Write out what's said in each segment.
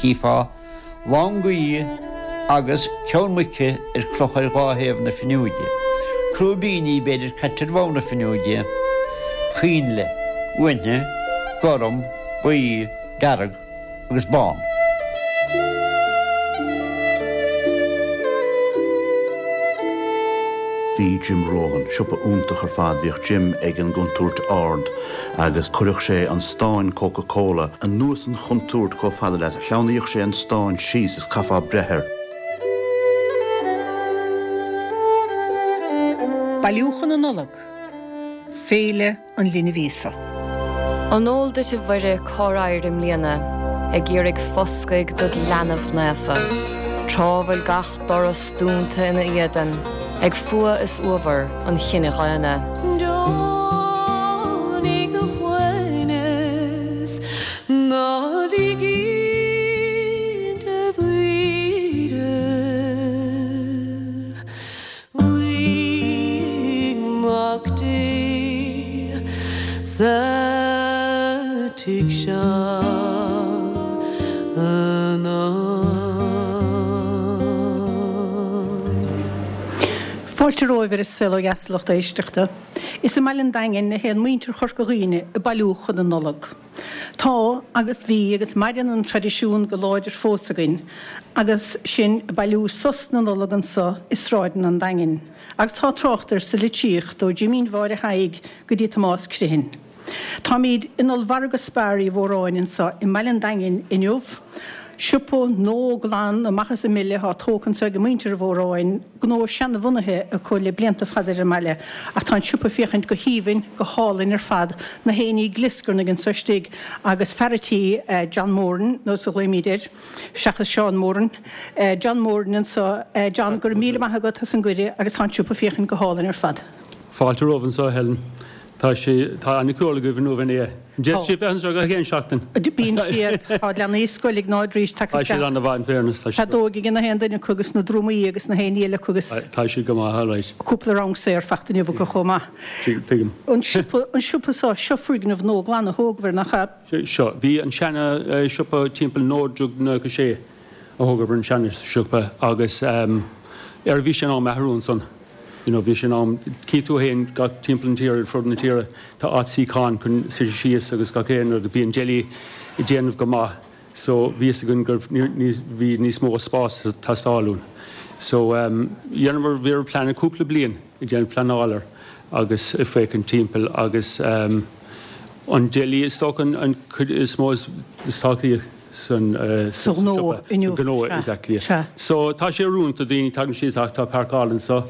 Chífeá lán gaoithe agus ceann muice ar crochadh ar dhá thaobh na fuinneoige. Crúibíní b'fhéidir caite ar bhonn na fuinneoige, coinnle, uaithne, gorm, buí, dearg agus bán. Bhí Jim Rohan, siopa iontach ar fad, bhíodh Jim ag an gcontúirt ard agus chuireadh sé an stán Coca Cola anuas an chontúirt chomh fada leat, shleamhnaíodh sé an stán síos is chaithfeá breith air. Bailiúchán na Nollag, Féile an Linbh Íosa. An eol duit a Mhuire cár éirigh i mbliana ag iarraidh foscaidh dod leanbh naofa, tráth bhfuil gach doras dúnta ina éadan ag fuath is uabhar an chine dhaonna. Deonaigh do shuaimhneas, ná lig inti a Mhuire. Luigh Mac Dé sa tigh seo anocht. Fáilte romhaibh ar An Saol Ó Dheas a lucht éisteachta. Is i mbaile an Daingin a théann muintir Chorca Dhuibhne ag bailiú chun na Nollag. Tá, agus bhí, agus maireann an traidisiún go láidir fós againn, agus sinn ag bailiú sos na Nollag anso i sráideanna an Daingin, agus tá trácht air sa litríocht ó Jimín Mháire Thaidhg go dtí Tomás Criomhthain. Táimíd in ollmhargadh Spar Uí Mhóráin anso i mbaile an Daingin inniu, siopa nua glan amach is an mile atá tógtha anso ag muintir Uí Mhóráin, gnó seanbhunaithe acu le blianta fada ar an mbaile, ach tá an siopa ag féachaint go haoibhinn, go hálainn ar fad, na héinní ag glioscarnaigh anso istigh agus fear a' tí, John Moran, nó is a ghlaoimíd air, seachas Seán Moran, John Moran anso. John, go raibh míle maith agat as an gcuireadh agus tá an siopa ag féachaint go hálainn ar fad. Fáilte romhaibh anso, a Helen. Tá sé, tá an-ciúl agaibh inniu an ea? D'fhéadfadh siad bheith anseo gach aon seachtain. Bíonn siad, tá leanaí scoile Iognáid Rís tagtha Tá siad isteach. an-mhaith in fairness, tá siad. Feadóg ag na haon duine acu agus na drumaí agus na haon ní eile acu agus. Tá siad go maith, alright. Cúpla rang saor fachta inniu acu chomh maith. Tuigim. An siopa, an siopa seo, seo foirgneamh nua glan a thógadar, nach ea? Seo, bhí an seana siopa timpeall 1996 a thógadar an seana siopa agus ar bhí sé in am athrú ansan. You know, bhí sé in am, tchí tú fhéin gach timpeall na tíre, ar fud na tíre, tá áit suíochán chun suite síos agus gach aon rud, bhí an deli ag déanamh go maith so bhí fhios againn go raibh, bhí níos mó spás ag teastáil uainn. So dhéanamar, bhí ar plean cúpla bliain ag déanamh pleanáil air agus ag féachaint timpeall agus an deli is dócha an cuid is mó is tábhachtaí. san Sa ghnó siopa, inniu, sa ghnó, sea, exactly. sea. So tá sé oiriúnach do daoine, tagann siad ach tá páirceáil anso.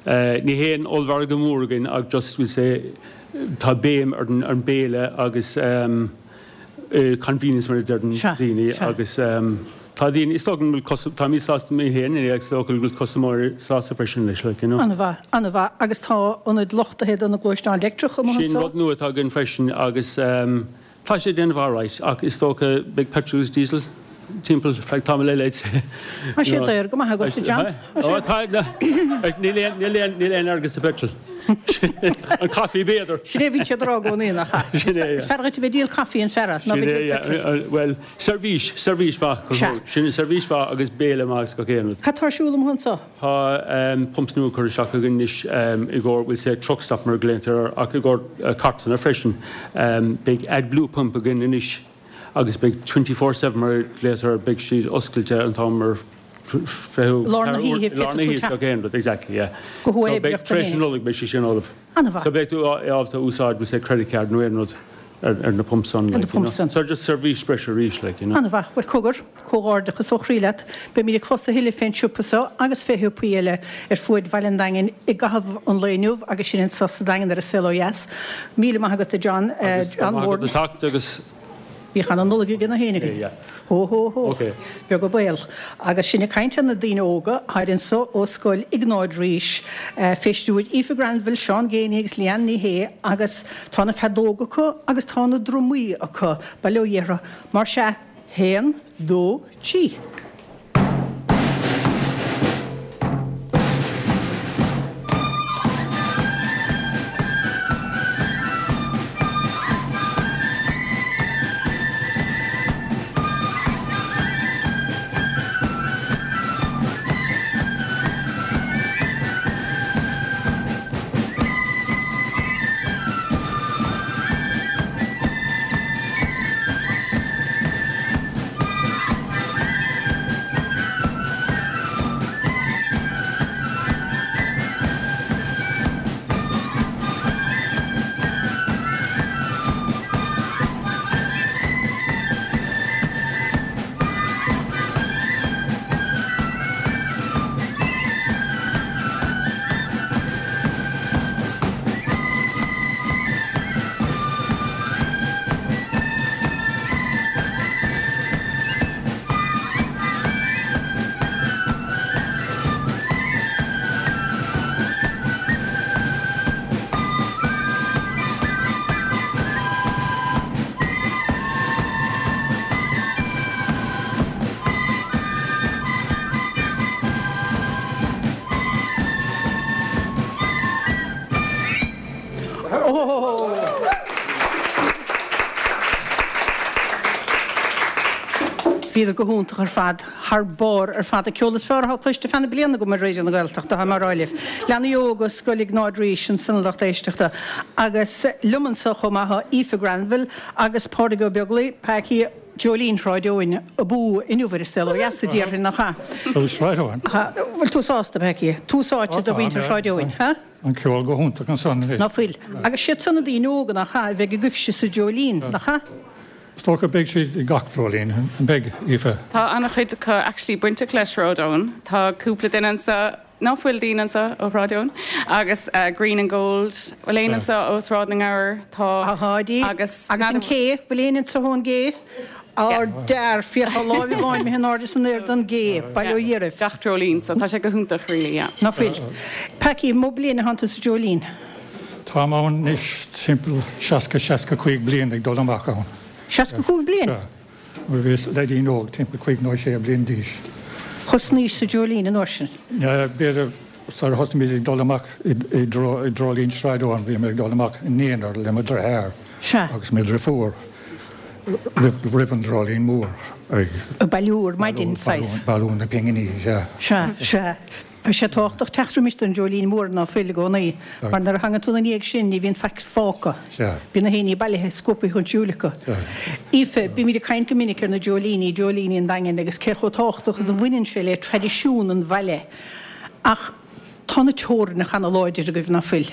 Ní haon ollmhargadh mór againn ach just we'll say tá béim ar an ar an béile agus convenience mar a deireann Sea, daoine sea. agus tá daoine, is dócha go bhfuil cus-, táimid sásta mé féin agus is dócha go bhfuil custaiméirí sásta freisin leis like, you know. An-mhaith, an-mhaith. Agus tá ionad luchtaithe do na gluaisteáin leictreacha amuigh Sin anso? rud nua atá againn freisin agus Tá sé ag déanamh alright ach is dócha beidh petrol agus diesel timpeall feadh tamaill eile I'd say. Tá sé daor go maith agat a John. Ó tá níl aon níl aon níl aon airgead sa petrol. An caife b'fhéidir. Sin é a bhíonn siad a rá i gcónaí nach ea? Sin é, yeah. Is fearr duit a bheith ag díol caife an fear ná bheith ag díol petrol. Bhuel, seirbhís, seirbhís mhaith. Sea. Sin seirbhís mhaith agus béile maith agus gach aon rud. Cad tá ar siúl amuigh anso? Tá pumps nua curtha isteach againn anois i gcomhair, we'll say truck stop mar a glaontar air, ach i gcomhair cartlanna freisin. Beidh AdBlue pump againn anois agus beidh 24/7 mar a glaotar air, beidh siad oscailte an t-am ar 24 Lár na hoíche, lár na féadfaidh tú hoíche teacht. gach aon rud, exactly, yeah. Go So beidh, huathoibríoch tar éis na Nollag beidh sé sin ullamh. An-mhaith. So beidh tú ábalta úsáid, we'll say credit card nó aon rud ar na pumps san, Ar na like, you know. pumps san. So just seirbhís breise arís, like, you know. An-mhaith. Bhuel, cogar. Comhghairdeachas ó chroí leat. Beimid ag clos a thuilleadh fén siopa seo agus fé shiopaí eile ar fuaid Bhaile an Daingin i gcaitheamh an lae inniu agus sinn anso sa Daingean ar an Saol Ó Dheas. Míle maith agat a John, Agus go John maith agat Moran. a theacht agus. Bíodh ana Nollaig ag na héinne againn. Yeah. Hó hó hó. Ok. Beag an baol. Agus sinn ag caint ar na daoine óga, tháid anso ó Scoil Iognáid Rís, fé stiúir Aoife Granville, Seán Geaney agus Leanne Ní Shé agus tá na feadóga acu agus tá na drumaí acu, bail ó Dhia orthu. Mar sea, Haon, dó, trí. Bhíodar go hiontach ar fad, thar barr ar fad. An ceol is fearr atá cloiste feadh na bliana agam ar Raidió na Gaeltachta, tá mé á rá libh. Leanaí óga Scoil Iognáid Rís ansan a lucht éisteachta. Agus liom anso chomh maith tá Aoife Granville agus Pádraig Ó Beaglaoi, Packie, Dreoilín Shráid Eoin abú inniu ar An Saol Ó Dheas, a déarfainn, nach ea? Tús Shráid Eoin. Bhfuil tú sásta, Packie? Tús áite do mhuintir Shráid Eoin, ha? An ceol go hiontach ansan anois. Ná fuil. Agus siad san na daoine óga, nach ea, a bheidh agaibhse sa dreoilín, nach ea? Is dócha beidh siad i gach dreoilín, an mbeidh, Aoife? Tá an-chuid acu actually bainteach le Sráid Eoin. Tá cúpla duine anseo, ná fuil daoine anseo ó Shráid Eoin? Agus Green and Gold, bhfuil éinne anseo ó Sráid na nGabhar? Tá. Tá, Agus. Agus an Cé, bhfuil éinne anseo ón gCé? Ár dear, féach tá láimh amháin imithe in airde san aer don gCé, bail ó Dhia oraibh. Gach dreoilín, so tá sé go hiontach really, yeah. Ná fuil. Packie, mó bliain atánn tú sa dreoilín? Táim ann anois timpeall 60, 65 bliain ag dul amach ann. 65 bliain? Sea. Nuair a bhíos leaidín óg, timpeall cúig nó sé bliain d'aois. Thosnaís sa dreoilín an uair sin? B'fhéidir sar a thosnaigh muid ag dul amach i dreoilín Sráid Eoin, bhí mé ag dul amach in aonar le mo dheartháir agus mo dhriofúr roimh an dreoilín mór ag. Ag bailiú ar maidin, saghas. Bailiú na pinginí, sea. Sea, sea. Tá sé tábhachtach teacht roimis don dreoilín mór ná fuil i gcónaí, mar nuair a thagann tú ina dhiaidh sin ní bhíonn faic fágtha. Bíonn na héinní bailithe scuabtha chun siúil acu. Aoife, bímid ag caint go minic ar na dreoilíní, dreoilíní an Daingin agus cé chomh tábhachtach is a bhaineann sé le traidisiún an bhaile. Ach tá na teorainneacha ana láidir agaibh, ná fuil?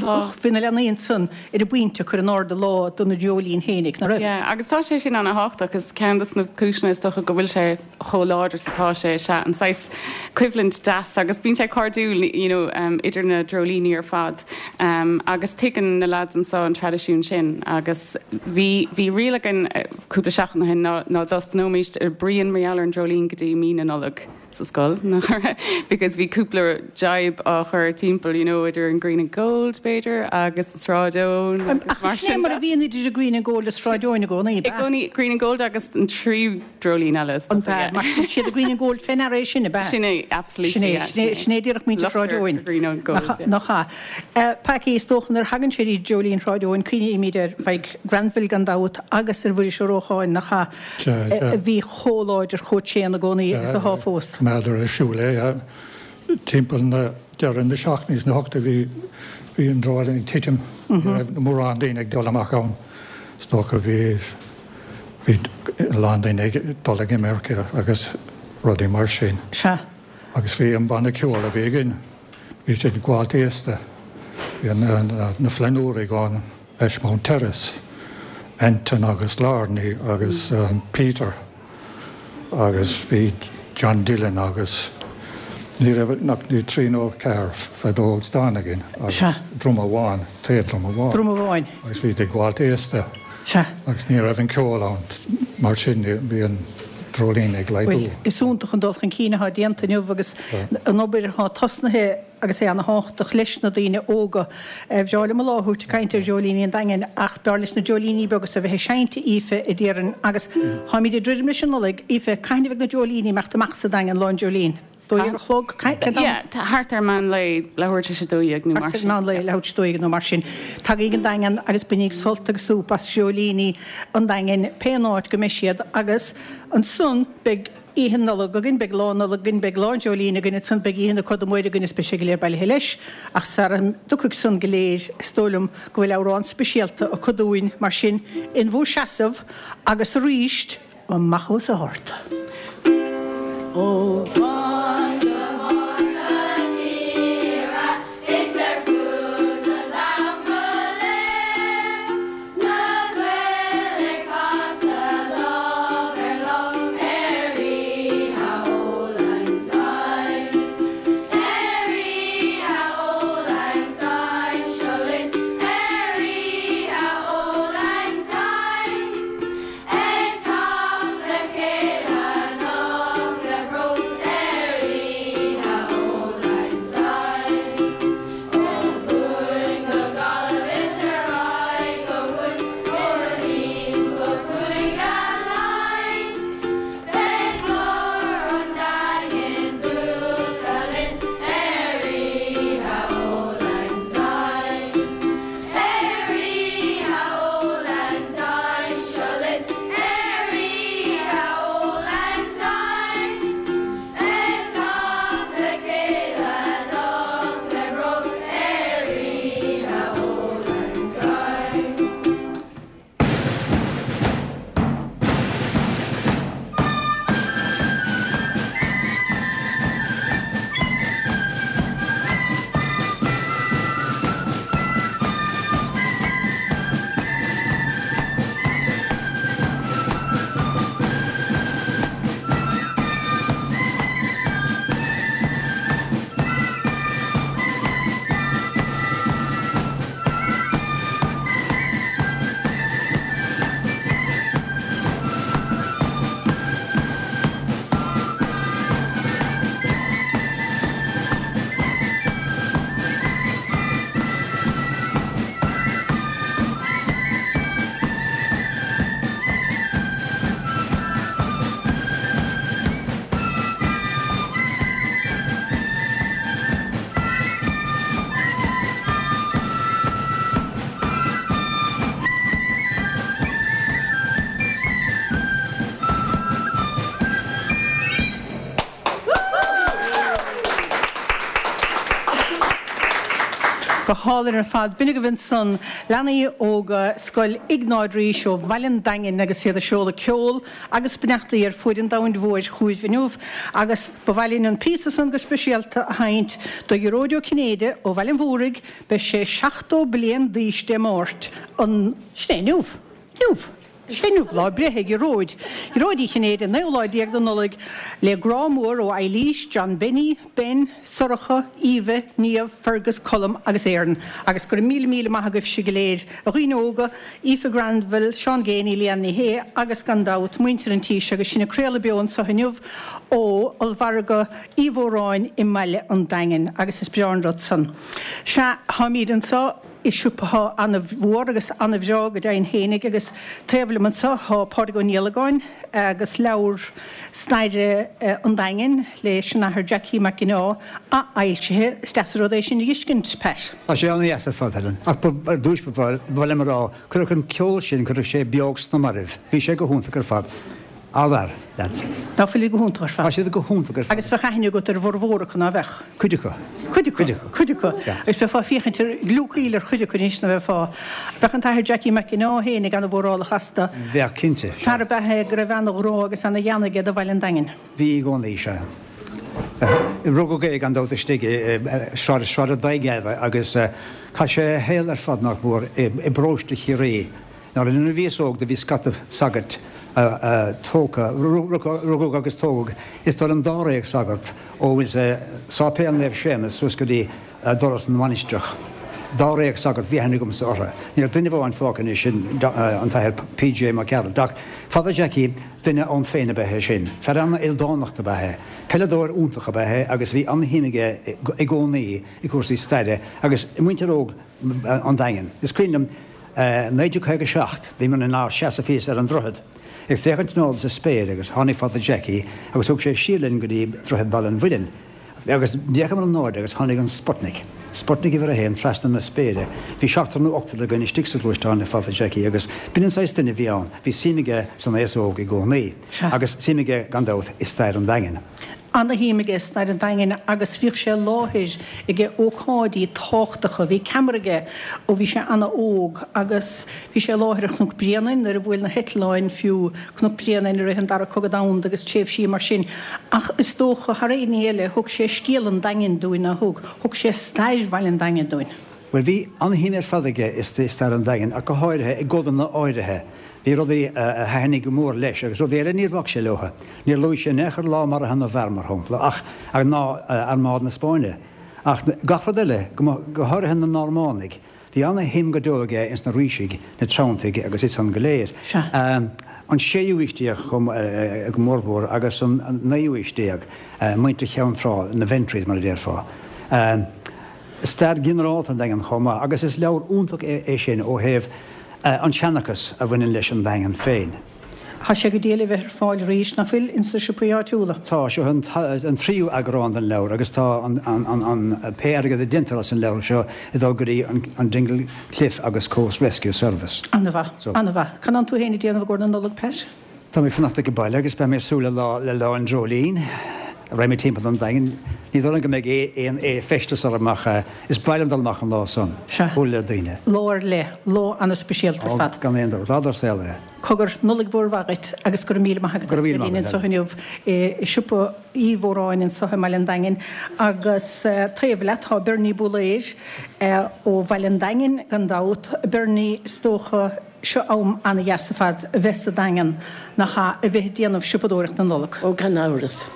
Tá. Bhí na leanaí ansan ar an bpointe ag cur in airde lá do na dreoilín fhéinig, ná raibh? Yeah, agus tá sé sin ana thábhachtach. Is ceann dos na cúiseanna is dócha go bhfuil sé chomh láidir is atá sé is ea an saghas coimhlint deas agus bíonn sé cairdiúil you know idir na dreoilíní ar fad agus tuigeann na lads anseo an traidisiún sin agus bhí bhí riail againn cúpla seachtain ó shin ná ná dtosnóimis ag bruíon mar gheall ar an dreoilín go dtí mí na Nollag sa scoil nach raibh because bhí cúpla jibe á chur timpeall you know idir an Green and Gold b'fhéidir agus an Sráid Eoin agus mar sin. Ach sin é mar a bhíonn idir an Green and Gold is Sráid Eoin i gcónaí, ab ea? I gcónaí Green and Gold agus an tríú dreoilín eile is dócha, yeah. Mar sin siad an Green and Gold fé ndeara é sin, ab ea? Sin é, absolutely, Sin é, yeah, sin é, sin é díreach muintir Shráid Eoin. Green and Gold, yeah. Nach ea? Packie, is dócha nuair a thagann sé dtí Dreoilín Shráid Eoin, cuimhnímid ar Mhaidhc Granville gan dabht agus ar Mhuiris Ó Rócháin, nach ea? Sea, sea. A bhí chomh láidir, chomh tréan i gcónaí agus atá fós. Choimeádar ar siúl é, yeah. Timpeall na, deireadh na seacht nó na hocht a bhí, bhí an dreoilín ag titim. Ní raibh mórán daoine ag dul amach ann. Is dócha bhí. Bhí a lán daoine ag dul ag imirce agus rudaí mar sin. Sea. Agus bhí an banna ceoil a bhí againn, bhí siad ag gabháilt aosta. Bhí na Flannúraigh ón Ashmount Terrace, Anton agus Larney agus Peter agus bhí John Dillon agus ní raibh ach ní trí nó ceathair feadóg stáin againn agus druma amháin, taobh-druma amháin. Druma amháin. Agus bhí ag gabháilt aosta. Sea. Agus ní raibh an ceol ann, mar sin bhí an dreoilín ag laghdú. Bhuel, is iontach an dul chun cinn atá déanta inniu agus an obair atá tosnaithe agus é ana-thábhachtach leis na daoine óga. Bhreá liom an lá a thabhairt ag caint ar Dhreoilíní an Daingin ach b'fhearr leis na dreoilíní beaga so a bheith ag seinnt, a Aoife, a déarfainn. Agus táimid ag druidim leis an Nollaig, Aoife, cathain a bheidh na dreoilíní ag imeacht amach sa Daingean, lá an dreoilín? 12 a chlog? Cén t-am? Yeah, thart ar meán lae, leathuair tar éis a 12 nó mar sin. Thart ar meán lae, leathuair tar éis a 12 nó mar sin. Tagaigí ag an Daingean agus bainíg sult agus súp as dreoilíní an Daingin, pé an áit go mbeidh siad. Agus ansan beidh Oíche Nollag againn, beidh Lá Nollag againn, beidh Lá an Dreoilín againn, ansan beidh Oíche na Coda Móire againn is beidh sé go léir bailithe leis. Ach sara dtiocfaidh san go léir, is dóigh liom go bhfuil amhrán speisialta acu dúinn, mar sin, in bhur seasamh agus arís, Amach os ard. Ó bharr go barr na tíre is ar fud an domhain go léir, na Gaeil ag casadh lámh ar láimh ar oíche Auld Lang Syne. Ar oíche Auld Lang Syne, seo linn ar oíche Auld Lang Syne. Ag teacht le chéile anocht le bród ar Go hálainn ar fad. B'in agaibh ansan leanaí óga Scoil Iognáid Rís ó Bhaile an Daingin agus iad ag seoladh ceol agus beannachtaí ar fuaid an domhain mhóir chugaibh inniu agus ba mhaith linn an píosa san go speisialta a sheinnt do Ghearóid Ó Cinnéide ó Bhaile an Mhúraigh, beidh sé 70 bliain d'aois Dé Máirt an, sin é inniu! Inniu! Sin inniu lá breithe Ghearóid, Ghearóid Uí Chinnéide, an naoú lá déag de Nollaig, le grá mór ó Eilís, John Benny, Ben, Sorcha, Aoibhe, Niamh, Fergus, Colm agus Éireann. Agus go raibh míle míle maith agaibhse go léir, a dhaoine óga, Aoife Granville, Seán Geaney, Leanne Ní Shé agus gan dabht, muintir an tí seo agus sinn ag craoladh beo anseo inniu ó Ollmhargadh Uí Mhóráin i mBaile an Daingin agus is breá an rud san. Sea, táimíd anseo. I siopa atá ana-mhór agus ana-bhreá go deimhin fhéinig agus taobh liom anseo tá Pádraig Ó Niallagáin agus leabhar staire an Daingin leis an Athair Jackie Mac Ginneá athfhoilsithe. Is deas an rud é sin a dh'fheiscint, Pat. Tá sé an-dheas ar fad, Helen. Ach ar dtúis ba mhaith liom a rá, cuireadh an ceol sin, cuireadh sé beocht sna mairbh. Bhí sé go hiontach ar fad. An-fhear, lads. Ná fuilid go hiontach ar fad? Tá siad go hiontach ar fad. Agus bheadh aithne agat ar a bhformhór acu, ná bheadh? Cuid acu. Cuid acu. Cuid acu. Cuid acu. Yeah. Agus bheifeá ag féachaint ar gliúcaíl ar chuid acu anois, ná bheifeá? Bheadh an tAthair Jackie Mac Ginneá fhéinig ana-mhórálach astu. Bheadh, cinnte. Fear ab ea é go raibh ana-ghrá agus ana-ghean aige do Bhaile an Daingin. Bhí i gcónaí, sea. Rugadh é gan dabht istigh i Sráid an Daigheada agus chaith sé a shaol ar fad, nach mór, i bparóiste Chiarraí. Nuair a bhíos óg do bhí scata sagart tógtha, rugadh agus tógadh is dóigh liom dáréag sagart ó bhfuil Sáipéal Naomh Séamus suas go dtí doras na mainistreach. Dáréag sagart, bhí aithne agamsa orthu. Níl ach duine amháin fágtha anois, sin an tAthair P.J. Mac Gearailt. Ach Father Jackie, duine ann féin ab ea é sin. Fear an-ildánach ab ea é. Peileadóir iontach ab ea é agus bhí an-shuim aige i gcónaí i gcúrsaí staire agus i muintir óg an Daingin. Is cuimhin liom 1957, bhíomar inár seasamh thíos ar an droichead ag féachaint in airde sa spéir agus tháinig Father Jackie agus thug sé siar linn go dtí droichead Baile an Mhuilinn agus d'fhéachamar in airde agus tháinig an Sputnik, Sputnik uimhir a haon trasna na spéire. Bhí seachtar nó ochtar againn istigh sa ghluaisteán le Father Jackie agus b'in an saghas duine a bhí ann, bhí suim aige san aos óg i gcónaí agus suim aige gan dabht i stair an Daingin. Ana-shuim aige i stair an Daingin agus bhíodh sé i láthair age ócáidí tábhachtacha. Bhí ceamara aige ó bhí sé ana-óg agus bhí sé i láthair ar Chnoc Bréanainn nuair a bhuail na heitleáin fiú Cnoc Bréanainn i rith an Dara Cogadh Domhanda agus tréimhsí mar sin. Ach is dócha, thar aon ní eile, thug sé scéal an Daingin dúinn, ná thug? Thug sé stair Bhaile an Daingin dúinn. Bhuel, bhí an-shuim ar fad aige i stair an Daingin ach go háirithe i gcodanna áirithe. Bhí rudaí a thaitnigh go mór leis agus rudaí eile níor bhac sé leo. Níor luaigh sé in aon chor lá maraithe na bhfear, mar shampla, ach ná Armáid na Spáinne. Ach gach rud eile, go háirithe na Normánaigh. Bhí ana-shuim go deo aige ins na Rísigh, na Treanntaigh agus iad san go léir. An séú haois déag go mórmhór agus an naoú haois déag, muintir Cheann Trá, na Ventrys mar a déarfá. Stair ghinearálta an Daingin chomh maith agus is leabhar iontach é sin ó thaobh an seanchas a bhaineann leis an Daingean féin. Tá sé go diail a bheith ar fáil arís, ná fuil, ins na siopaí áitiúla? Tá, seo an tríú eagrán den leabhar agus tá an pé airgead a déantar as an leabhar seo ag dul go dtí an Dingle Cliff agus Coast Rescue Service. An-mhaith, an-mhaith. Cad tánn tú féin ag déanamh i gcomhair na Nollag, Pat? Tá mé ag fanacht ag baile agus beidh mé ag súil le lá le Lá an Dreoilín. Raghaidh mé timpeall an Daingin. Ní dóigh liom go mbeidh aon fheisteas orm ach is breá liom dul amach an lá san. Sea. Bualadh le daoine. Lá ar leith. Lá ana-speisialta ar fad. Ó, gan aon dabht. Lá dár saol é. Cogar, Nollaig mhór mhaith dhuit agus go raibh míle maith agat as bheith linn anseo inniu i siopa Uí Mhóráin anseo i mBaile an Daingin. Agus taobh leat tá Bernie Búlaeir ó Bhaile an Daingin gan dabht. Bernie, is dócha, Seo am ana-dheas ar fad a bheith sa Daingean, nach ea, a bheith ag déanamh siopadóireacht na Nollag. Ó gan amhras.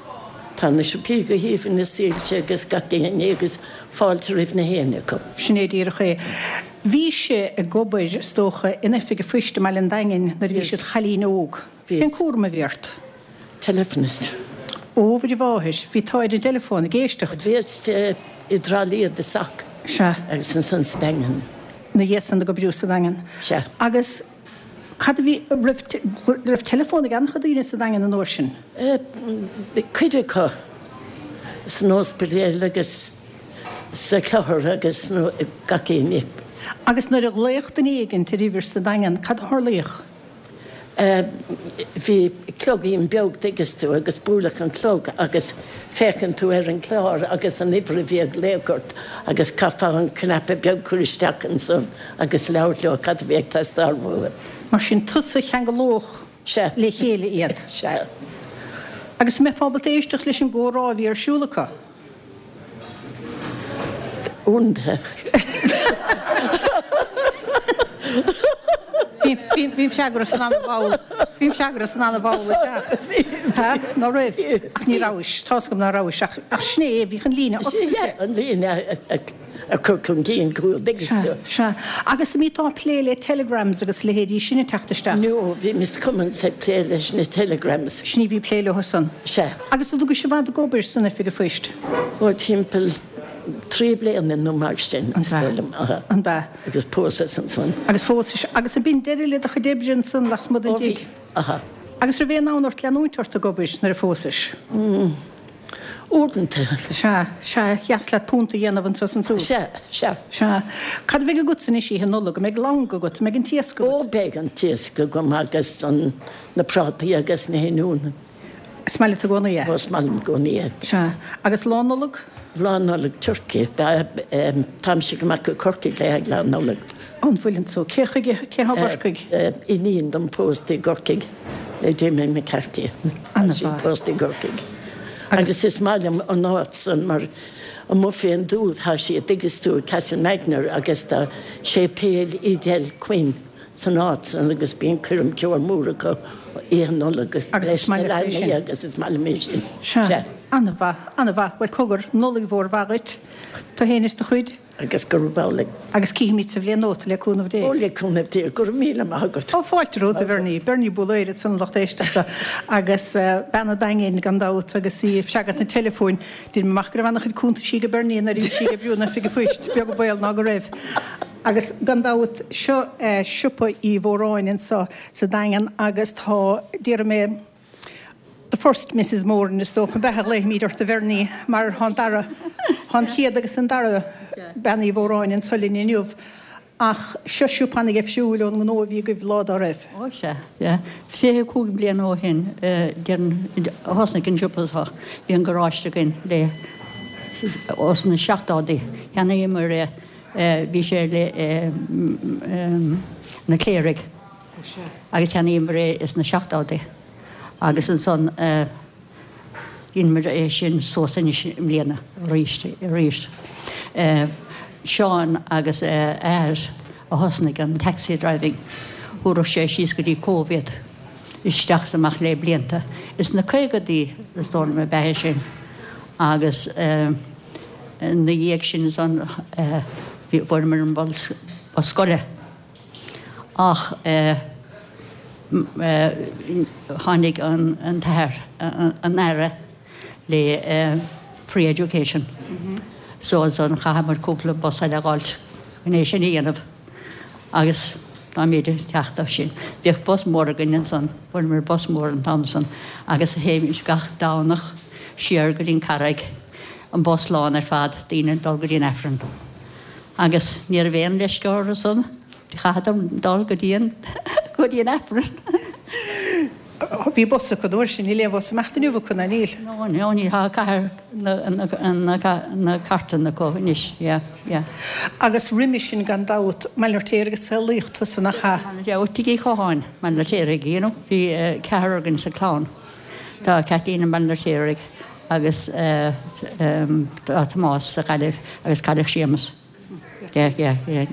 Tá na siopaí go haoibhinn na soilse agus gach aon ní agus fáilte roimh na héinne acu. Sin é díreach é. Bhís ag obair, is dócha, in oifig an phoist i mBaile an Daingin nuair a bhís id chailín óg. Cén cúram a bhí ort? Telephonist. Ó, a Mhuire Mháthair, bhí tú ar an dteileafón ag éisteacht. Bhíos i dTrá Lí i dtosach. Sea. Agus ansan sa Daingean. Ina dhiaidh san ag oibriú sa Daingean. Sea. Agus cad a bhí, raibh, raibh teileafón ag an-chuid daoine sa Daingean an uair sin? Cuid acu. San ospidéal agus sa chlochar agus gach aon ní. Agus nuair a ghlaodh duine éigint ar uimhir sa Daingean, cad a tharlaíodh? Bhí cloigín beag dtuigeas tú agus buaileadh an clog agus féachann tú ar an chlár agus an uimhir a bhí ag glaoch ort agus chaithfeá an cnaipe beag cur isteach ansan agus labhairt leo cad a bhí ag teastáil uathu. Mar sin tusa a cheangalódh le chéile iad. Sea. Agus an mbeifeá ábalta éisteacht leis an gcomhrá a bhí ar siúl acu? Uaireanta. Bhímse go raibh san an-mhall, bhímse go raibh san an-mhall ag teacht. Ha? Ná raibh? Ach ní rabhais, tá's agam ná rabhais, ach, ach sin é, bhíodh an líne oscailte. Sea, an líne a chur chun cinn go dtuigeas tú. Sea, sea. Agus an mbíteá ag plé le telegrams agus leithéidí sin ag teacht isteach? No, bhí Miss Cummins ag plé leis na telegrams. Sin í a bhí ag plé leo san. Sea. Agus an dtugais i bhfad ag obair san oifig an phoist? Ó, timpeall 3 bliana nó mar sin, is dóigh liom. An b'ea? Agus phósas ansan. Agus phósais. Agus ab in deireadh le do chuid oibre ansan lasmuigh den Ó bhí, dtigh? aha. Agus raibh aon fhonn ort leanúint ort ag obair nuair a phósais? Mm. Uaireanta. Sea, sea, dheas leat punt a dhéanamh anso is ansúd. Sea, sea. Sea. Cad a bheidh agatsa anois Oíche Nollag? An mbeidh lann agat? An mbeidh an t-iasc agat? Ó, beidh an t-iasc agam agus an, na prátaí agus na hoinniúin. Is maith leat i gcónaí é? Ó, is maith liom i gcónaí é. Sea. Agus Lá Nollag? Lá Nollag turcaí. Táimse ag imeacht go Corcaigh le haghaidh Lá Nollag. An bhfuileann tú? Cé chuige, cé thá i gCorcaigh? Iníon dom pósta i gCorcaigh le Jimmy McCarthy. Tá sí pósta i gCorcaigh. Agus is maith liom an áit san mar amuigh fén dtuath tá sí, dtuigeas tú, i Castlemagner agus tá séipéal Edel Quinn. san áit san agus bíonn coirm ceoil mór acu Oíche Nollag agus leis na leanaí agus is maith liom é sin. Sea. An-mhaith, an-mhaith. Bhuel cogar, Nollaig mhór mhaith dhuit, tú fhéin is do chuid. Agus gurb amhlaidh. Agus cífimid sa bhliain nua tú le cúnamh Dé. Ó le cúnamh Dé, go raibh míle maith agat. Ó fáilte romhat a Bhernie, Bernie Búlaeir ansan a lucht éisteachta agus bean an Daingin gan dabht agus í ag freagairt na teileafóin. Deinim amach go raibh an-chuid cuntaisí ag Bernie nuair a bhí sí ag oibriú in oifig an phoist, beag an baol ná go raibh. Agus gan dabht, seo siopa Uí Mhóráin anseo sa Daingean agus tá, déarfaidh mé, the first Mrs Moran is dócha, ab ea a ghlaofaimid ort a Bhernie mar tá an dara, tá an chéad agus an dara bean Uí Mhóráin anseo linn inniu. Ach seo siopa ana-gheimhsiúil ón ngnó a bhí agaibh lá dá raibh. Ó sea, yeah. 25 bliain ó shin, déarfainn, a thosnaigh an siopa seo. Bhí an garáiste againn le, ós na seachtóidí. Cheannaíomar é. Bhí sé le na cléirigh agus cheannaíomar é sna seachtóidí agus ansan dheineamar é sin suas anois i mbliana arís arís. Seán agus a athair a thosnaigh an taxi driving, thabharfadh sé síos go dtí Cóbh iad, isteach is amach le blianta. Is na caogadaí is dóigh liom ab ea é sin agus. Ina dhiaidh sin ansan fuaireamar an bus scoile ach tháinig an t-athair, an Aire le free education so ansan chaitheamar cúpla bus eile a dh'fháilt chun é sin a dhéanamh agus táimid ag teacht as sin. Bhíodh bus mór againn ansan, fuaireamar bus mór an t-am san agus théimis gach Domhnach siar go dtí an Carraig. an bus lán ar fad, daoine ag dul go dtí an Aifreann. Agus ní raibh aon leisce orthu san, chaitheadar dul go dtí an, go dtí an Aifreann. Bhí bus acu an uair sin, níl aon bhus ag imeacht inniu acu, ná níl? No, no, níl, tá cathair na, na, na, na cartanna acu anois, yeah, yeah. Agus roimhe sin gan dabht, Baile an Fheirtéaraigh a saolaíodh tusa, nach ea? Yeah, ó Tigh Uí Chatháin, Baile an Fheirtéaraigh, you know, bhí ceathrar againn sa chlann. Tá Kathleen i mBaile an Fheirtéaraigh agus tá Tomás sa Ghaillimh agus cailleadh Séamus. Yeah, yeah, yeah,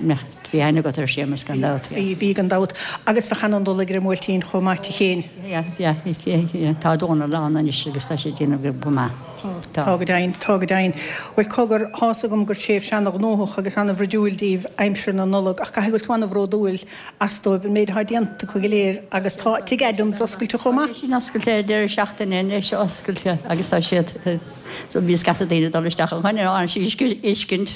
bhí aithne agat ar Séamus gan dabht. Bhí, bhí gan dabht. Agus bheadh ana-Nollaig ar an mBuailtín chomh maith di féin. Yeah, yeah, yeah, yeah, tá Dónal ann anois agus tá sé ag déanamh go maith. Tá. Tá go deimhin, tá go deimhin. Bhuel cogar, tá's agam gur tréimhse ana-ghnóthach agus ana-bhruidiúil daoibh aimsir na Nollag ach caithfidh go bhfuil tú ana-bhródúil as dóibh, an méid atá déanta acu go léir agus tá Tigh Adams oscailte chomh maith. Tá sé sin oscailte deireadh seachtaine anois, oscailte agus tá siad, so bíonn scata daoine ag dul isteach chun an fheiscint.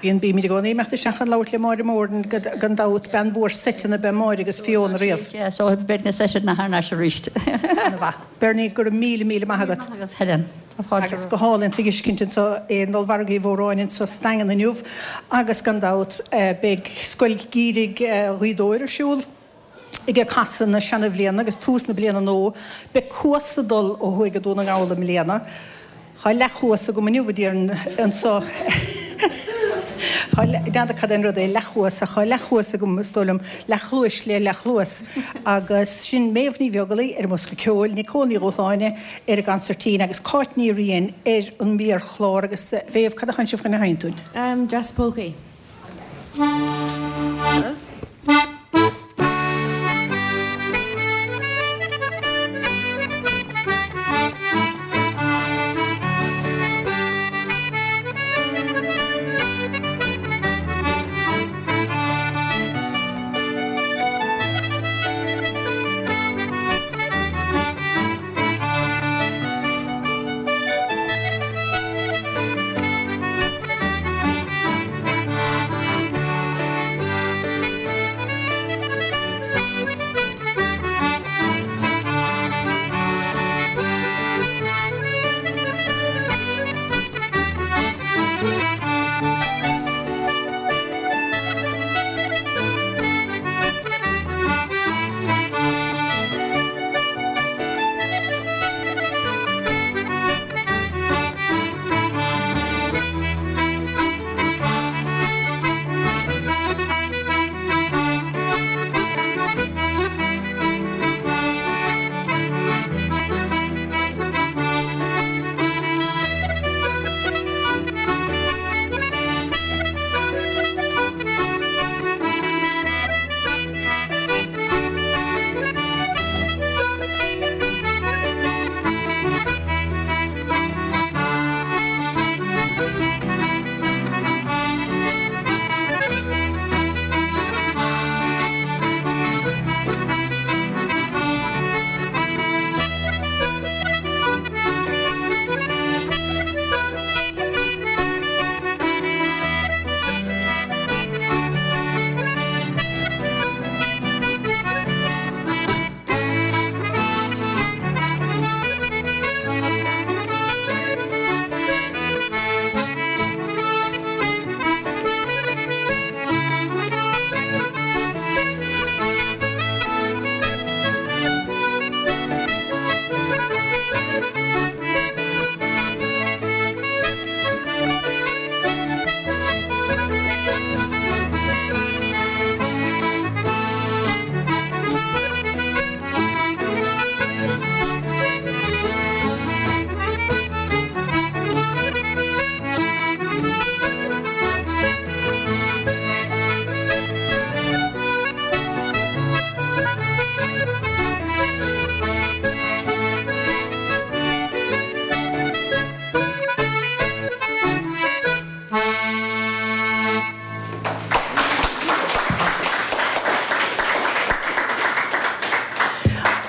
Bíonn, bímid i gcónaí ag imeacht isteach chun labhairt le Máire Moran gan dabht, bean mhór seiteanna ab ea Máire agus Fiona riamh. Yeah, so beidh na seiteanna thar n-ais arís. Ana-mhaith. Bernie, go raibh míle, míle maith agat. Maith agat Helen. Agus go hálainn tuiscint anseo i Ollmhargadh Uí Mhóráin anseo sa Daingean inniu agus gan dabht beidh Scoil Gheimhridh Ghaoth Dobhair ar siúl. Ag casadh na seana-bhliana agus tús na bliana nua, beidh Cuas ag dul ó thuaidh go Dún na nGall i mbliana. Tá leathchuas agam inniu, a déarfainn, anso. N'fheadar cad é an rud é leathchuas, ach tá leathchuas agam, is dóigh liom, leathchluais le leathchluas. Agus sin Méabh Ní Bheaglaoi ar an mbosca ceoil, Nicole Ní Dhúshláine ar an gconsairtín agus Cáit Ní Riain ar an méarchlár. Agus a Mhéabh, cad a thánn sibh chun a sheinnt dúinn? Dreas Pócaí.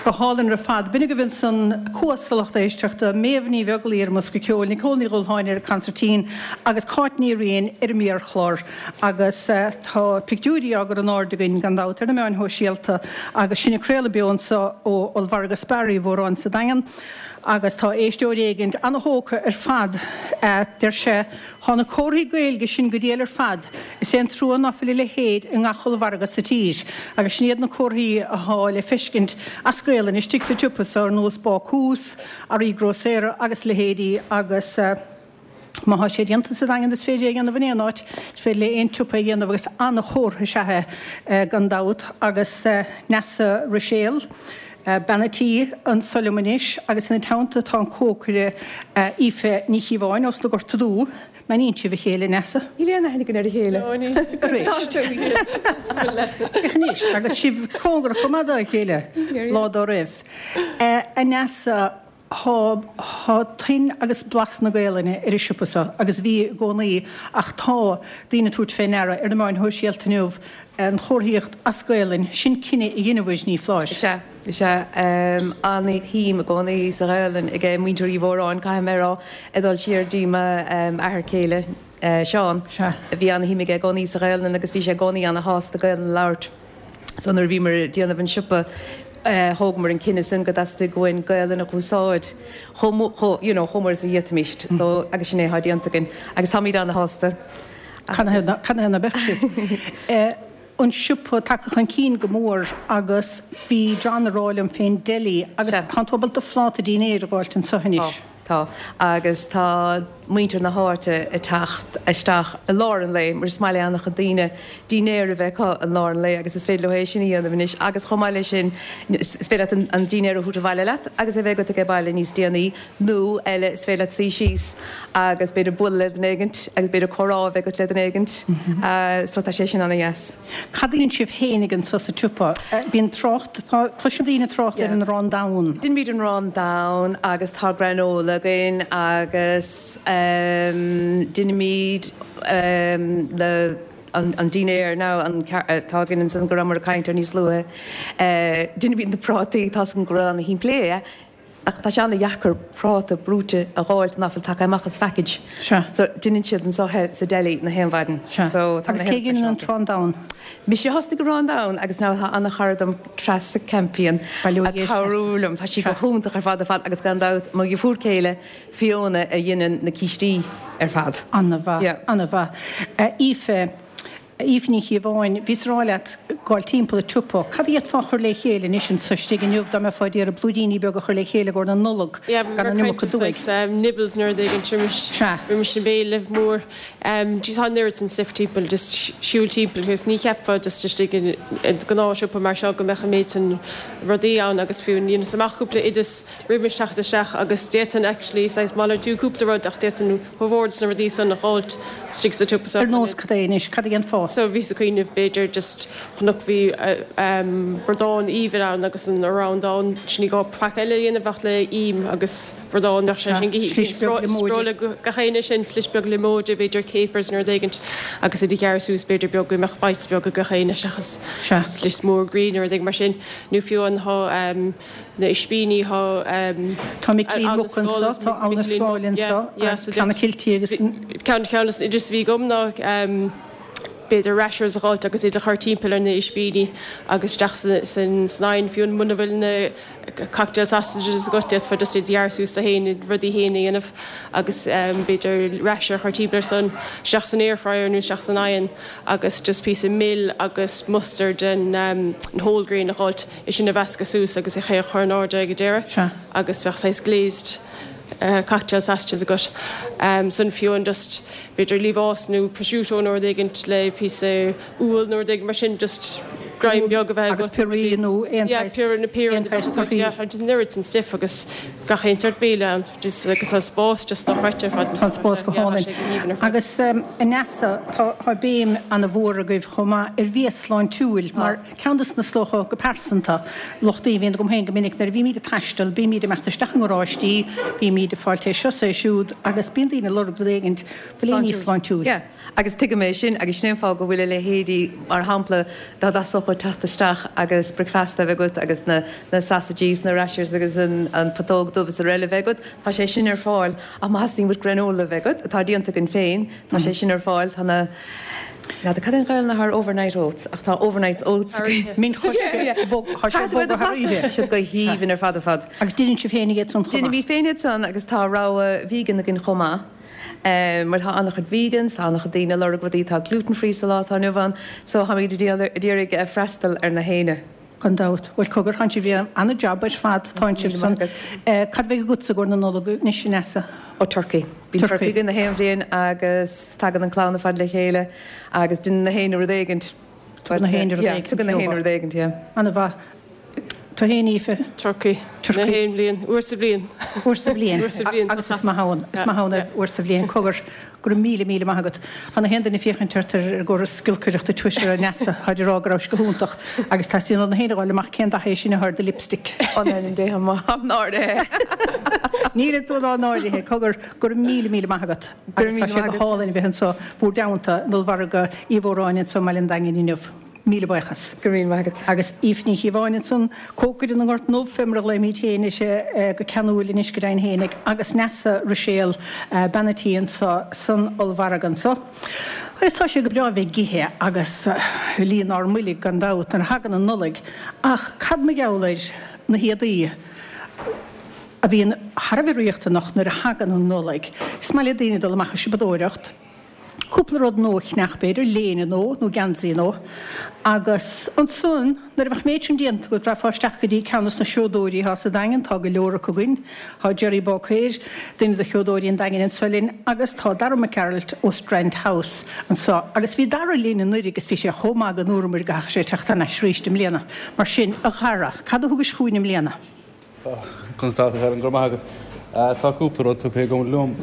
Go hálainn ar fad. B'in agaibh ansan Cuas a lucht éisteachta, Méabh Ní Bheaglaoi ar an mbosca ceoil, Nicole Ní Dhúshláine ar an consairtín agus Cáit Ní Riain ar an méarchlár. Agus tá pictiúirí á gcur in airde againn gan dabht ar na meáin shóisialta agus sinn ag craoladh beo anseo ó Ollmhargadh Spar Uí Mhóráin sa Daingean. Agus tá éisteoir éigint ana-thógtha ar fad, deir sé, Thá na comharthaí Gaeilge sin go diail ar fad, is é an trua ná fuil a leithéid i ngach ollmhargadh sa tír, agus sin iad na comharthaí athá le feiscint as Gaelainn istigh sa tsiopa so ar nós bácús, earraí grósaera agus leithéidí agus má thá sé déanta sa Daingean is féidir é a dhéanamh in aon áit, is féidir le aon tsiopa é a dhéanamh agus ana-chomhartha is ea é gan dabht agus Neasa Ruiséal. Bean a' tí anso liom anois agus ina teannta tá an cócaire Aoife Ní Chíobháin ós na Gorta Dubha. An aithníonn sibh a chéile, a Neasa? Níl aon aithne againn ar a chéile. Anois, agus sibh cóngarach chomh maith dá chéile lá dá raibh. A Neasa, Thá, thá toin agus blas na Gaelainne ar an siopa so agus bhí i gcónaí ach tá daoine ag tabhairt fé ndeara ar na meáin shóisialta inniu an chomharthaíocht as Gaelainn, sin cinneadh a dheineabhair, Ní Fláis. Is ea, is ea. An-shuim i gcónaí sa Ghaelainn ag muintir Uí Mhóráin, caithfidh mé a rá, ag dul siar dtí m'athair céile, Seán. Sea. Bhí an-shuim aige i gcónaí sa Ghaelainn agus bhí sé i gcónaí ana-shásta Gaelainn a labhairt. So nuair a bhíomar ag déanamh an siopa thógamar an cinneadh sin go dteastaigh uainn Gaelainn a dh'úsáid chomh chomh you know chomh mór is a d'fhéadfaimis. So agus sin é atá déanta againn agus táimid ana-shásta. Canathaobh ná beadh sibh? an siopa tagtha chun cinn go mór agus bhí John ag rá liom fén deli agus tá tú ábalta phláta dinnéir a dh'fháilt anso anois. Tá, tá. Agus tá muintir na háite ag teacht isteach i lár an lae mar is maith le an-chuid daoine dinnéar a bheith acu i lár an lae agus is féidir leo é sin a dhéanamh anois agus chomh maith leis sin is féidir leat an dinnéar a thabhairt abhaile leat agus é bheith agat age baile níos déanaí nó eile is féidir leat suí síos agus b'fhéidir bualadh le duine éigint agus b'fhéidir comhrá a bheith agat le duine éigint so tá sé sin ana-dheas. Cad a dhéanann sibh féinig anso sa tsiopa? Bíonn trácht, tá, cloiseann daoine trácht ar an arán donn. Deinimid an arán donn agus tá granola againn agus deinimid na an dinnéar now an atá againn ansan go rabhamar ag caint air níos luaithe. Deinimid na prátaí, tá's agam go raibh ana-shimplí é. Ach tá sé ana-dheacair práta brúite a dh'fháilt ná fuil tagtha amach as phackage. Sea. So deineann siad anso é sa deli na haon mhaidin. Sea. So tá Agus na cé haon dheineann an t-arán donn? Mise a thosnaigh arán donn agus now tá ana-chara dom Treasa Campion Bail ó ag Dhia ar cabhrú Treasa. liom. Tá sí go Sea. hiontach ar fad ar fad agus gan dabht mo dheirfiúr céile Fiona a dheineann na cístí ar fad. Ana-mhaith. Yeah. Ana-mhaith. Aoife, Aoife Ní Chíobháin, bhíos ag rá leat gabháil timpeall an tsiopa. Cad a d'fhéadfá a chur le chéile anois anso istigh inniu dá mbeifeá ag iarraidh blúiríní beaga a chur le chéile i gcomhair na Nollag Yeah, bhí gan mé an ag iomarca caint ar dúigh? saghas nibbles nó rud éigin roimis Sea. roimis an bhéile mór. Jeez, tá an oiread san stuif timpeall, just siúl timpeall agus ní cheapfá just istigh i gnáthshiopa mar seo go mbeadh an méid san rudaí ann agus fiú dheineas amach cúpla oideas roimis teacht isteach agus d'fhéadfainn actually saghas malartú cúpla rud ach d'fhéadfainn Ba mhór dos na rudaí san a dh'fháilt istigh sa tsiopa so. Ar nós cad é anois? Cad a dhéanfá? So bhíos ag cuimhneamh b'fhéidir just chonac bhí bradán aoibhinn ann agus an arán donn sin ní gá faic eile a dhéanamh ach le im agus bradán bheadh sé sin go Slis beag liomóide. Spreola gach éinne sin slis beag liomóide b'fhéidir capers nó rud éigint agus iad a ghearradh suas b'fhéidir beag go mbeadh bites beag ag gach éinne seachas slis mór groí nó rud éigin mar sin nó fiú an tá na ispíní thá. Tá Micilín Muc anso, tá Abha na Scáil anso, agus Clonakilty agus an. Ceann ceann des na oideas a bhí agam ná b'fhéidir rashers a dh'fháilt agus iad a chur timpeall ar na ispíní agus isteach san oigheann fiú muna bhfuil na cocktail sausages agat d'fhéadfá just iad a ghearradh suas do fhéin rudaí fhéin a dhéanamh agus b'fhéidir rasher a chur timpeall ar san isteach san air fryer nó isteach san oigheann agus just píosa mil agus mustard and whole grain a dh'fháilt. é sin a mheascadh suas agus é a chur in airde ag an deireadh agus bheadh saghas glazed cocktail sausages agat. San fiú an just b'fhéidir liamhás nó prosciutto nó rud éigint le píosa úll nó rud éigin mar sin just greim beag a bheith agat. Agus piorraí nó aon Yeah, piorraí na piorraí aon aon torthaí. Yeah, an oiread san stuif agus gach aon sort béile ann just agus tá spás just dochreidte ar fad. Tá an spás go Yeah, tá hálainn. sé go haoibhinn ar fad. Agus a Neasa, tá tá béim ana-mhór agaibh chomh maith ar bhia sláintiúil mar Ceann de na is dócha go pearsanta, lochtaí a bhíonn agam féin go minic nuair a bhímid ag taisteal, bímid ag imeacht isteach i ngaráistí, bímid ag fáilt é seo 's é siúd agus bíonn daoine ag lorg rud éigint beagán níos sláintiúil. Yeah, agus tuigim é sin agus sin é an fáth go bhfuil a leithéidí, mar shampla, dá dteastódh uait teacht isteach agus bricfeasta a bheith agat agus na na sausages, na rashers agus an an putóg dubh is araile a bheith agat, tá sé sin ar fáil ach má theastaíonn uait granola a bheith agat, atá déanta againn féin, tá sé sin ar fáil, tá na. N'fheadar cad é an Ghaelainn atá ar overnight oats ach tá overnight oats againn. Min choiscthe, bog, tá sé bog thar oíche. Tá siad go haoibhinn ar fad ar fad. Agus déanann sibh féin iad san chomh maith? Déanaimid féin iad san agus tá rogha vegan againn chomh maith. Mar tá an-chuid vegans, tá an-chuid daoine ag lorg rudaí atá gluten free sa lá atá inniu ann so táimid ag iarraidh freastal ar na héinne. Gan dabht. Bhuel, cogar, tánn sibh ag déanamh ana-jab ar fad, tánn sibh san. Cad a bheidh agatsa i gcomhair na Nollag anois, a Neasa? Ó, turcaí. Bíonn turcaí againn na haon bhliain agus tagann an clann ar fad le chéile agus déanann na héinne rud éigint. Tugann na héinne rud éigint. Tugann na héinne rud éigint, yeah. Ana-mhaith. Tú fhéin, Aoife? Turcaí. Turcaí. Na haon bhliain. Uair sa bhliain. Uair sa bhliain. Uair sa bhliain. Agus is maith ann, is maith ann é uair sa bhliain. Cogar. Go raibh míle, míle maith agat. Tá na haon duine ag féachaint ort ar an gcóras giolcaireachta Twitter, a Neasa, táid ag rá go rabhais go hiontach agus teastaíonn ó na héinne a dh'fháil amach cén dath é sin atá ar do lipstick. Ó in ainm Dé, táim náirithe. Níl tú ná náirithe. Cogar, go raibh míle, míle maith agat. Go raibh Agus tá míle sé maith go agat. hálainn a bheith anseo bhúr dteannta in Ollmhargadh Uí Mhóráin anseo i mBaile an Daingin inniu. Míle buíochas. Go raibh míle maith agat. Agus Aoife Ní Chíobháin ansan, cócaire na nGort nDubh, fé mar a ghlaoimíd féin uirthi go ceanúil anois go deimhin fhéinig, agus Neasa Ruiséal, bean a' tí anso san ollmhargadh anso. Agus tá sé go breá a bheith ag ithe agus líon ár mboilg gan dabht nuair a thagann an Nollaig, ach cad mar gheall ar na héadaí a bhíonn thar a bheith riachtanach nuair a thagann an Nollaig? Is maith le daoine dul amach ag siopadóireacht. Cúpla rud nua a cheannach b'fhéidir, léine nua nó geansaí nua. Agus ansan nuair a bheadh an méid sin déanta agat rachfá isteach go dtí ceann dos na seodóirí atá sa Daingean, tá go leor acu againn, tá Gerry Báicéir, duine de sheodóirí an Daingin anso linn agus tá Dara Mac Gearailt ó Strand House anso. Agus bhí Dara linn anuraidh agus bhí sé chomh maith go ndúramar go gcaithfeadh sé teacht thar n-ais arís i mbliana. Mar sin, a Dhara, cad a thugais chugainn i mbliana? Conas tá tú, Helen? Go raibh maith agat. Tá cúpla rud tugtha agam liom.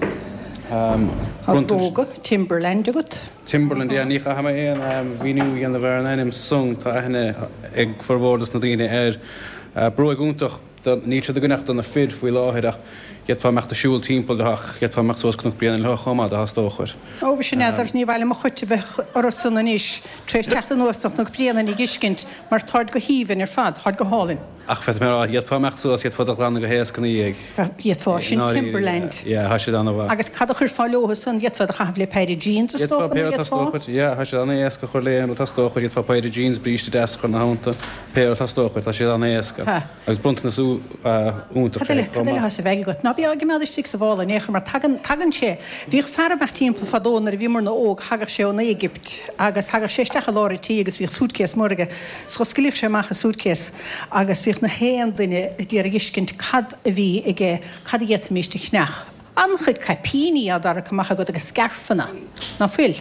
Tá bróga Timberland agat. Timberland, yeah. Ní chaithfidh mé aon mhíniú a dhéanamh ar an ainm san. Tá aithne ag formhór dos na daoine air. Bróig iontach. Níl siad againn ach do na fir faoi láthair ach d'fhéadfá imeacht ag siúl timpeall leo ach d'fhéadfá imeacht suas Cnoc Bréanainn leo chomh maith dá theastódh uait. Ó, mhuise n'fheadar, ní mhaith liom mo choit a bheith orthu san anois tar éis teacht anuas ó Chnoc Bréanainn ag fheiscint mar táid go haoibhinn ar fad, táid go hálainn. Ach féadfaidh mé a rá, d'fhéadfá imeacht suas, d'fhéadfá iad a ghlanadh go héasca ina dhiaidh. D'fhéadfá, sin Timberland. Yeah, tá siad an-mhaith. Agus cad a chuirfeá leo san? D'fhéadfá iad a chaitheamh le péire jeans is dócha, nó d'fhéadfá? Yeah, tá siad an-éasca a chur le aon rud theastódh uait. D'fhéadfá péire jeans, bríste deas a chur ina theannta, pé rud theastódh uait, tá siad an-éasca. Agus bronntanas iontach Cad eile, cad eile atá sa bhag agat? Ná bí á gcimeád istigh sa mhála in aon chor mar tagann, tagann sé. Bhíodh fear ag imeacht timpeall fadó nuair a bhíomarna óg, thagadh sé ón Éigipt agus thagadh sé isteach i lár an tí agus bhíodh suitcase mór aige. 'S dh'osclaíodh sé amach an suitcase agus bhíodh na haon duine ag iarraidh fheiscint cad a bhí aige, cad a d'fhéadfaimíst a cheannach. An-chuid caipíní á dtarrac amach agat agus scairfeanna, ná fuil?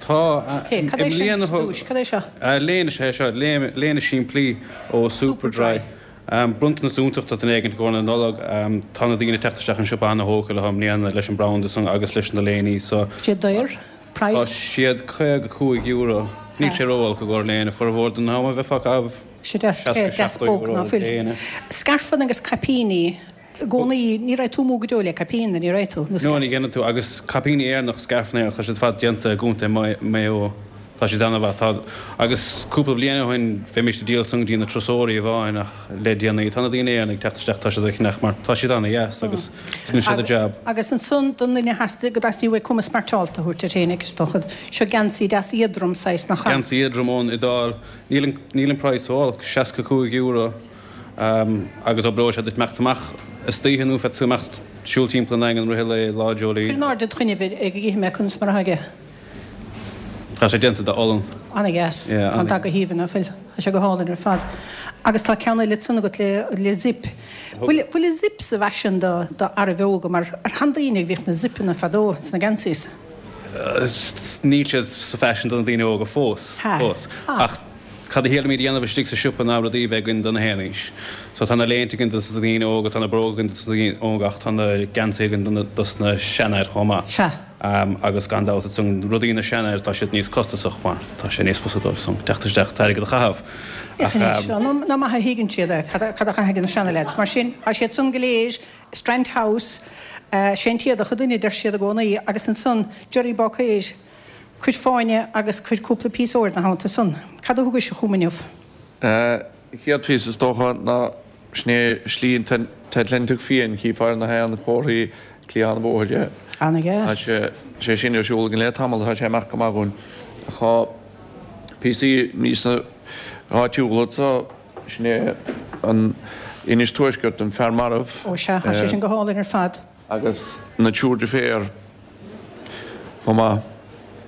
Tá. Ok, cad é sin ar dtúis? Cad é seo? Léine is ea é seo, léine simplí ó Superdry. Bronntanas iontach do dhuine éigint i gcomhair na Nollag. Tá na daoine ag teacht isteach an siopa ana-thógtha leo i mbliana leis an branda san agus leis na léiní so. Cad é daor? Praghas? Tá siad €55. Níl sé ró-olc i gcomhair léine. Formhór den am a bheifeá ag caitheamh Sé deas, 60, deas 70 bog, euro ná fuil? léine. Scairfeanna agus caipíní i gcónaí, ní raibh tú amú go deo le caipín, ní raibh tú? Nó No, scairf. ní dhéanann tú. Agus caipíní Éireannach, scairfeanna Éireannach, tá siad ar fad déanta i gContae Mhaigh Eo. Tá siad an-mhaith. Tá, agus cúpla bliain ó shin bheimíst ag díol san go dtí na turasóirí amháin ach le déanaí tá na daoine Éireannaigh ag teacht isteach, tá siad ag ceannach mar tá siad an-dheas agus déanann siad a jab. Agus ansan don duine a theastaigh, go dteastaigh uaidh cuma smeairteálta a thabhairt air féinig, is dócha. Seo geansaí deas éadrom saghas, nach ea? Geansaí éadrom ón Iodáil. Níl an, níl an praghas ró-olc, €65, agus oibreoidh sé duit imeacht amach istoíche nó féadfaidh tú imeacht siúl timpeall an Daingin i rith an lae, Lá Dreoilín. Cuir in airde id choinnibh é go gcífidh mé conas mar atá aige. Tá sé déanta de olann. Ana-dheas. Yeah, Tá an dath go haoibhinn, ná fuil? Tá sé go hálainn ar fad. Agus tá ceann eile ansan agat le, le zip. Bhfuil, bhfuil an zip sa bhfaisean do, do fhearaibh óga mar ar sheandaoine a bhíodh na zipeanna fadó sna geansaís? Níl siad sa bhfaisean do na daoine óga fós, Ha. fós. Ha. Ach cad a shílimid a dhéanamh istigh sa siopa ná rudaí a bheith againn do na haon aois. So tá na léinte againn dos na daoine óga, tá na bróga againn dos na daoine óga ach tá na geansaithe againn do na, dos na seanfhir chomh maith. Sea. Agus gan dabht ansan rudaí na seanfhear tá siad níos costasach mar tá sé níos fusa dóibh san teacht isteach is airgead a chaitheamh. Ach anois, nach maith a thuigeann siad é, cad a chaithfidh na seanaleaids. Mar sin, tá siad san go léir, Strand House, sé an t-éadach an duine a deir siad i gcónaí, agus ansan Gerry Báicéir, cuir fáinne agus cuir cúpla píosa óir ina theannta san. Cad a thugais chugam inniu? Chéad phíosa is dócha ná sin é Slí an t-Atlantach Fiáin, chífeá ar na sheanchomharthaí cliathán an bhóthair é. Ana-dheas. Tá sé sin ar siúl againn le tamall, tá sé amach go maith dhúinn. Ach tá píosaí níos áitiúla anseo, sin é an Inis Tuaisceart, an Fear Marbh. Ó sea, tá sé sin go hálainn ar fad. Agus na triúr deirféar chomh maith.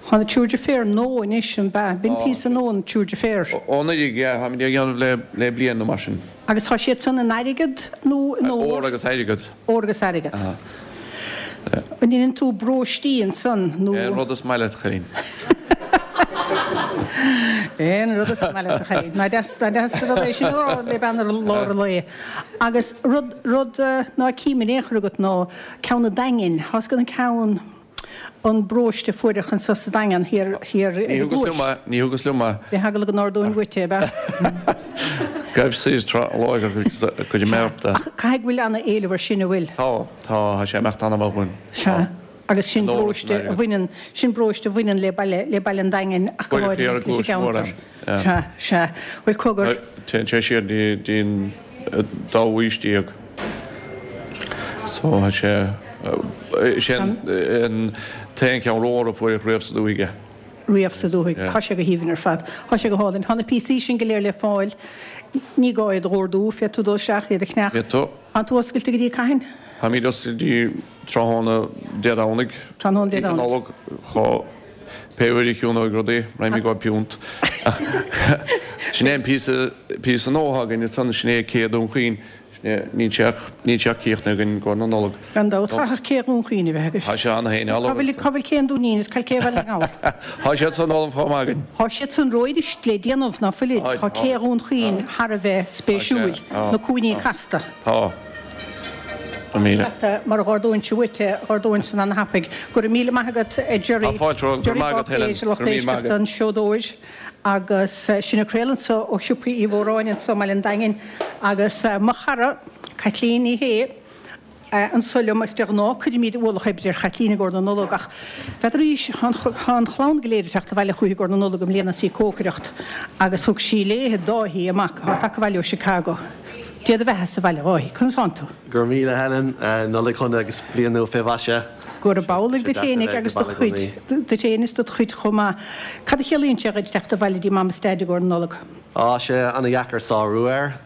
Tá na triúr deirféar nua anois, an b'ea? B'in píosa nua, na triúr deirféar. Ó anuraidh, yeah, táimid á dhéanamh le le bliain nó mar sin. Agus tá siad san in airgead nó in ór? Ór agus airgead. Ór agus airgead. An ndéanann tú bróistí ansan nó? Aon rud is maith leat, a chailín. Aon rud is maith leat, a chailín. Nach deas, nach deas an rud é sin a rá le bean ar lár an lae. Agus rud, rud ná cím in aon chor agat ná ceann an Daingin. Tá 'fhios agat an ceann, an bróiste a fuaireadh anso sa Daingean thiar, thiar ar Ní an thugas gCluais. liom é, ní thugas liom é. Bhí eagla go n-ordóinn uait é, ab ea? Gabh soir tráth láithreach go dtí mé ort é. Ach caithfidh go bhfuil ana-éileamh air sin, an bhfuil? Tá, tá, tá sé ag imeacht an-mhaith dhúinn. Sea. Agus sin bróiste a bhaineann, sin bróiste a bhaineann le baile, le baile an Daingin ach go háirithe agus leis an gceantar. Sea, sea. Bhuel, cogar. Téann sé siar go dtí an dóú haois déag. So tá sé, is é an t-aon cheann óir a fuaireadh riamh sa dúthaigh é. Riamh sa dúthaigh. Tá sé go haoibhinn ar fad. Tá sé go hálainn. Tá na píosaí sin go léir le fáil. Ní gá iad a dh'ordú, féadfaidh tú dul isteach, iad a cheannach. Féadfaidh tú. Tá tú oscailte go dtí cathain? Táimid oscailte go dtí tráthnóna Dé Domhnaigh. Tráthnóna Dé Domhnaigh. Nollag. Pé uair a chiúnóidh rudaí, raghaimid go piúnt. Ach sin é an píosa, píosa nua atá againn ansan, sin é Cé Dún Chaoin. Sin é, níl sé ach, níl sé ach críochnaithe againn i gcomhair na Nollag. Gan dabht, chaithfeadh Cé Dhún Chaoin a bheith agaibh. Tá sé ann féin, Cá bhfuil, cá bhfuil Cé an Dúinín is cá bhfuil Cé Bhaile na nGall? Tá siad san ullamh chomh maith againn. Tá siad san romhaibh anois le déanamh, ná fuilid? Tá Cé Dhún Chaoin thar a bheith spéisiúil, na cúinní casta. Tá. Leat mar dh'ordóinnse uait é, dh'ordóinn san ana-thapaidh. Go raibh míle maith agat, a Gerry. Tá fáilte romhat. Go raibh maith agat, Helen. Lucht éisteachta, an seodóir. Agus sinn ag craoladh anso ó shiopa Uí Mhóráin anso i mBaile an Daingin agus mo chara, Caitlín Ní Shé, anso liom agus de ghnáth cuirimid ualach oibre ar Chaitlín i gcomhair na Nollag ach n'fheadaraís, tá an chlann go léir ag teacht abhaile chúithi i gcomhair na Nollag i mbliana is í ag cócaireacht agus thug sí léithe Dáithí, a mac, atá tagtha abhaile ó Chicago. Dé do bheatha sa bhaile, a Dháithí. Conas tánn tú? Go raibh míle, Helen. Nollaig shona agus bliain nua fé mhaise. Gurab amhlaidh duit fhéinig agus do chuid, duit fhéin is dod chuid chomh maith. Cad a chiallaíonn sé dhuit teacht abhaile dtí Mam is Daid i gcomhair na Nollag? Tá sé ana-dheacair sárú air.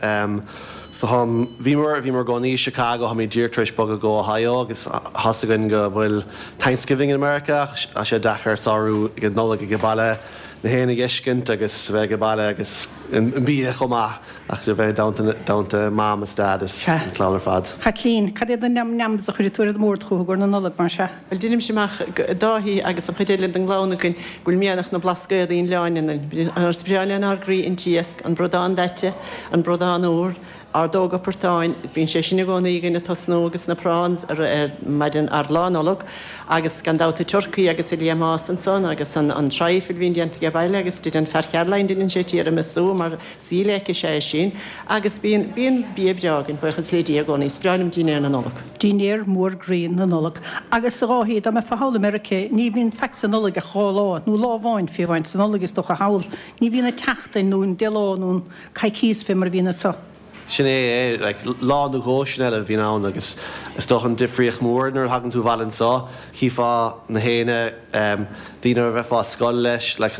So táim, bhíomar, bhíomar i gcónaí i Chicago, táimid díreach tar éis bogadh go Ohio agus tá's againn go bhfuil Thanksgiving in America ach tá sé deacair sárú ag an Nollaig ag baile, na héin a dh'fheiscint agus bheith ag baile agus an bia chomh maith ach a bheith i dteannta Mam is Dad is an clann ar fad. Chaitlín, Cad iad na neam neams a chuirfidh tú ar an mbord chucu i gcomhair na Nollag, mar sea? Bhuel, deinimse amach Dáithí agus an chuid eile den gclann againn go bhfuil mianach na Blascaodaí an Oileáin ionainn. Is breá lenár gcroí an t-iasc, an bradán daite, an bradán úr, ordóga portáin, bíonn sé sin i gcónaí againn ag tosnú agus na prawns ar maidin ar Lá Nollag agus gan dabht an turcaí agus an liathmás ansan agus an trifle a bhíonn déanta age baile agus deineann fear Charoline deineann sé tiramisu mar saol is ea é sin agus bíonn bíonn bia breá againn, buíochas le Dia i gcónaí. Is breá liom dinnéar na Nollag. Dinnéar mór groí na Nollag. Agus a Dháithí, dá mbeifeá thall i Meirice, ní bhíonn faic sa Nollaig ach 2 lá, nó lá amháin fiú amháin sa Nollaig is dócha thall. Ní bhíonn an tseachtain nó an 10 lá nó an coicíos fé mar a bhíonn anso. Sin é é, like, lá nó dhó sin eile a bhíonn ann agus is dócha an difríocht mhór nuair a thagann tú abhaile anso, chífeá na héinne, em, daoine a bheifeá ar scoil leis, like,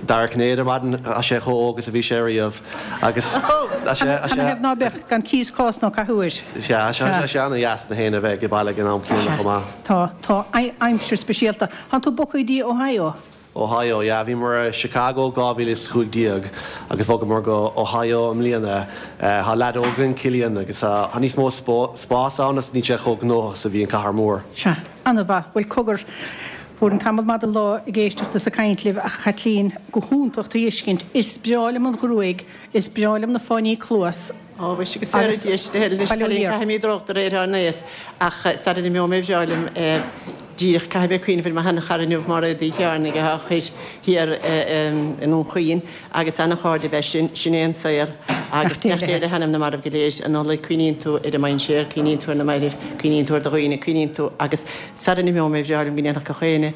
Dara Cinnéide ar maidin, tá sé chomh óg is a bhí sé riamh agus tá sé, tá sé. Canathaobh ná beadh gan cíos cás ná cathaoir? Sea, tá sé ana-dheas na héinne a bheith ag baile ag an am céanna chomh maith. Tá, tá aimsir speisialta. Tánn tú bogtha go dtí Ohio? Ohio, yeah. Bhíomar i Chicago 2015 agus bhogamar go Ohio i mbliana. Tá leaid óg againn, Cillian, agus tá níos mó spás ann agus níl sé chomh gnóthach is a bhí an cathair mór. Sea, an-mhaith. Bhuel, cogar, fuair an tamall maith den lá ag éisteacht is ag caint libh ach a Chaitlín, go hiontach tú a fheiscint. Is breá liom an ghruaig, is breá liom na fáinní cluas. Ó, mhuise, go saora Dia sinn a Helen, anois cailín, caithfidh mé drúcht de réir ár n-aos, ach sara n-imeoidh mé bhreá liom díreach, caithfidh mé cuimhneamh ar mo sheanchara inniu, Máiréad Uí Chearnaigh, atá thoir thiar i nDún Chaoin, agus ana-chairde ab ea sinn, sin é an saol, agus beannacht Dé le hanam na marbh go léir, an Nollaig, cuimhníonn tú ar an mainséar, cuimhníonn tú ar na mairbh, cuimhníonn tú ar do dhaoine, cuimhníonn tú, agus sara n-imeoidh mé bhreá liom go ndéanfadh gach éinne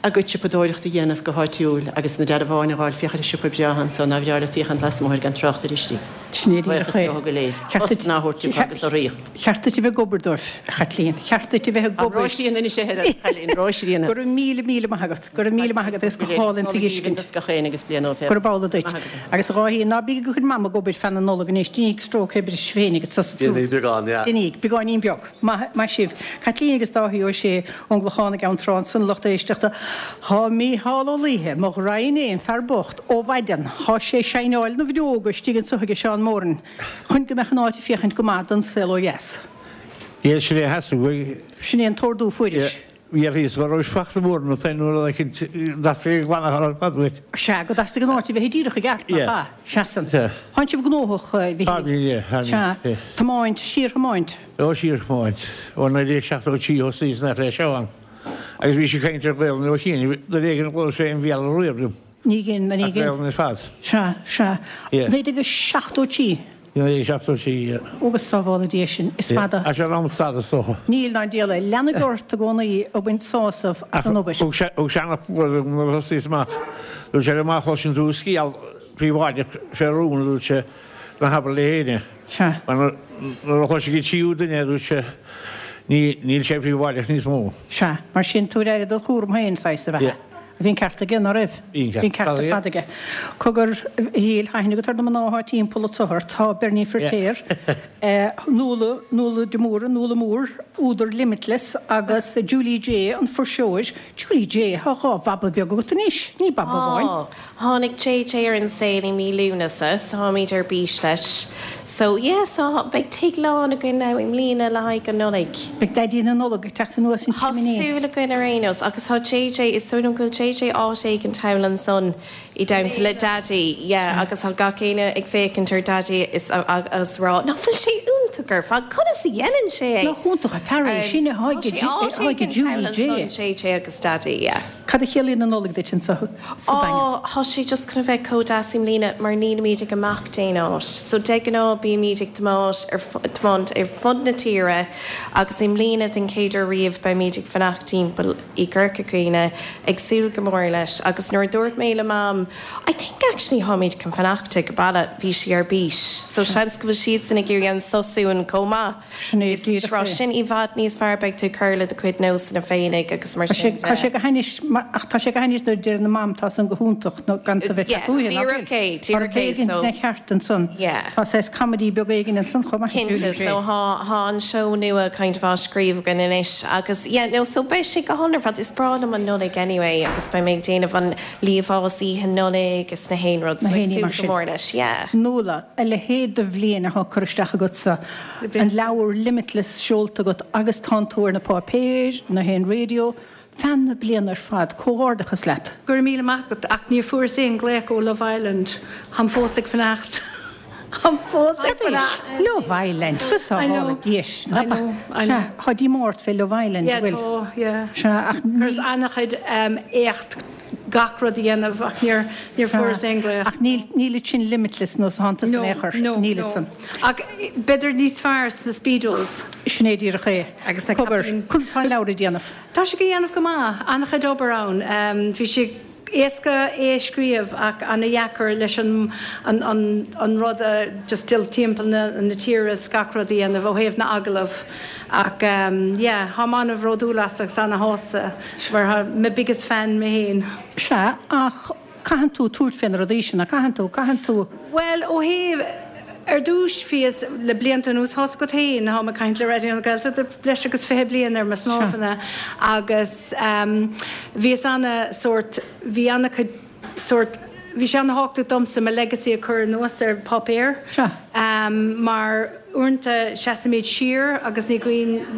a gcuid siopadóireachta a dhéanamh go háitiúil agus na dearbháin a dh'fháil, féach ar an siopa breá anso, nár bhreá leat féachaint lasmuigh air gan trácht ar istigh. Sin é díreach Buíochas é. leo go léir. Cheart duit, Postanna a thabhairt dóibh agus urraíocht. cheart duit a bheith ag obair dóibh, a Chaitlín. Cheart duit a bheith ag An obair. Róisín anois a Helen, cailín, Róisín. Go raibh míle, míle maith agat. Go raibh míle maith agat agus go hálainn tú a fheiscint. Agus gach éinne agus bliain nua Gurab amhlaidh duit. Agus a Dháithí, ná bí ag cur Mam ag obair feadh na Nollag anois, déanaigí stróc oibre sibh féinig ag tosú. Déanaigí beagán, yeah. Déanaigí, beagáinín beag. Maith, maith sibh. Caitlín agus Dáithí Ó Sé ón gClochán i gCeann Trá ansan, lucht éisteachta. Thá Mícheál Ó Laoithe, mo ghraidhin fhéin, fear bocht, ó mhaidean, thá sé ag saighneáil na bhfreoga istigh anso aige Seán Moran chun go mbeadh an áit ag féachaint go maith don saol ó dheas. Yeah, sin é a theastaigh uaidh. Sin é an t-ordú a fuairis. Bhí a fhios go raibh smacht mór ionat féin nuair a fheicint dteastaigh ag glanadh ar fad uait. Sea, go dteastaigh an áit a bheith díreach i gceart, nach ea? Seasann. Sea. Tánn sibh gnóthach, a Mhichíl. Táimid, yeah, táimid, Sea. yeah. Tiomáint, síorthiomáint. Ó, síorthiomáint. Ó 1973 thosaíos nach le Seán. Agus bhí sé ag caint ar Ghaelainn ó chianaibh, nuair éigin a ghlaoigh sé an Bhéarla riamh liom. Ní ghin, ní Ach ghin. Gaelainn ar fad. Sea, sea. Yeah. 1973. 1973, yeah. Ó go sábhála Dia sinn, is fada. Tá sé in am stad is dócha. Níl ná diabhal é. Leanfaidh ort i gcónaí ag baint sásamh as an obair. Thug sé ana nuair a thosaíos amach, dúirt sé liom má chloiseann tú scéal príobháideach fé rún, a dúirt sé, ná habair le héinne. Sea. Mar nuair a chloisfidh an tríú duine, a dúirt sé, níl sé príobháideach níos mó. Sea. Mar sin, tabhair aire do chúram féin, saghas, a bheatha. Bhí an ceart aige, ná raibh? Bhí an ceart ar fad aige. Cogar, a Shíl, tá aithne agat ar na mná atá timpeall anso ort. Tá Bernie Firtéar, Nuala, Nuala de Mórdha, Nuala Mór, údar Limitless, agus Julie Jay, an fuirseoir. Julie Jay, tá 2 bhaba beag agat anois, ní baba amháin. Tá. Tháinig JJ ar an saol i mí Lúnasa so táimid ar bís leis. So yeah so beidh tigh lán againn now i mbliana le haghaidh an Nollaig. Beidh Daidí na Nollag ag teacht anuas an Tá simné. súil againn ar aon nós agus tá JJ, is dóigh liom go bhfuil JJ áit éigin thall ansan i dteannta le Daidí yeah agus tá gach éinne ag féachaint ar Daidí is agus rá nach bhfuil sé iontach ar fad, conas a dhéanann sé é? Nach iontach an fear é sin atá Tá sé áit ag éigin Julie thall Jay. ansan JJ agus Daidí yeah. Cad a chiallaíonn an Nollaig duit anseo sa Daingean? Á, tá sé just chun a bheith chomh deas i mbliana mar nílimid ag imeacht aon áit. So de ghnáth bímid ag tiomáint ar tiomáint ar fud na tíre agus i mbliana den chéad uair riamh beimid ag fanacht timpeall i gCorca Dhuibhne, ag súil go mór leis agus nuair a dúirt mé le Mam I think actually táimid chun fanacht ag baile bhí sí ar bís. So seans go bhfuil siadsan ag iarraidh an sos uainn chomh maith. Sin é Is díreach díreach é. sin i bhfad níos fearr, beidh tú ag cur le do chuid nósanna féinig agus mar Tá sé sin tá sé de. go hainnis ach tá sé go hainnis nuair a deir na mam tá san go hiontach nó gan tú bheith Yeah, teacht uaithe, ná díreach fuil? é, Tá rud díreach é, éigin so ina cheart ansan. yeah. Tá saghas comedy beag éigin ansan chomh maith, Cinnte, Julie Jay. so thá, thá an seó nua kind of á scríobh againn anois agus yeah, no, so beidh sé go hálainn ar fad. Is breá liom an Nollaig anyway agus beidh mé ag déanamh an liamhás oíche Nollag is na haon rud, Na so ag haon ní súil mar go sin. mór leis, yeah. Nuala, a leithéid de bhliain atá curtha isteach agatsa. An leabhar Limitless seolta agat agus tánn tú ar na páipéir, na haon raidió, feadh na bliana ar fad. Comhghairdeachas leat. Go raibh míle maith agat, ach níor fuaireas aon glaoch ó Love Island. Táim fós ag fanacht. Táim fós ag fanacht. Love Island, go sábhála Dia sinn. I know, I know. Sea, tá díomá ort fé Love Island, Yeah, bhfuil? tá, yeah. Sea, ach ní. Chuireas an-chuid éacht gach rud a dhéanamh ach níor, níor fuaireas aon glaoch. Ach níl, níl sin limitless nó sánta san No, aon chor. no, Níl no. san. Ach b'fhéidir níos fearr sna Speedos. Sin é díreach é. Agus na Cogar, caipín. conas tá an leabhar ag déanamh? Tá sé ag déanamh go maith. An-chuid obair ann. Bhí sé éasca é a scríobh ach an-dheacair leis an an an an rud a just dul timpeall na na tíre is gach rud a dhéanamh ó thaobh na agallamh. Ach yeah, táim an-bhródúil as agus an-shásta mar tá my biggest fan mé féin. Sea, ach caitheann tú tabhairt fé na rudaí sin, nach gcaitheann tú? Caitheann tú. Bhuel, ó thaobh, ar dtús, bhíos, le blianta anuas, tá's agat féin, táim ag caint le Raidió na Gaeltachta breis agus 20 bliain ar mo snámhanna agus bhíos ana sórt, bhí ana chuid sórt, bhí sé ana thábhachtach domsa mo legacy a chur anuas ar páipéar mar uaireanta seasaimid siar agus ní